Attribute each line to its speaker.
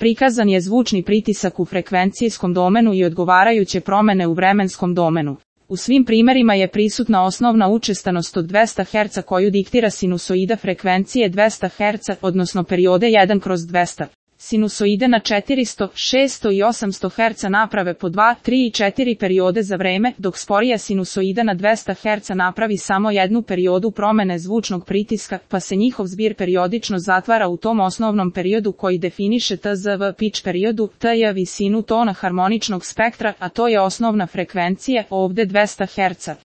Speaker 1: Prikazan je zvučni pritisak u frekvencijskom domenu i odgovarajuće promene u vremenskom domenu. U svim primerima je prisutna osnovna učestanost od 200 Hz koju diktira sinusoida frekvencije 200 Hz, odnosno periode 1/200. Sinusoide na 400, 600 i 800 Hz naprave po 2, 3 i 4 periode za vreme, dok sporija sinusoida na 200 Hz napravi samo jednu periodu promene zvučnog pritiska, pa se njihov zbir periodično zatvara u tom osnovnom periodu koji definiše TZV pitch periodu, TJ visinu tona harmoničnog spektra, a to je osnovna frekvencija, ovde 200 Hz.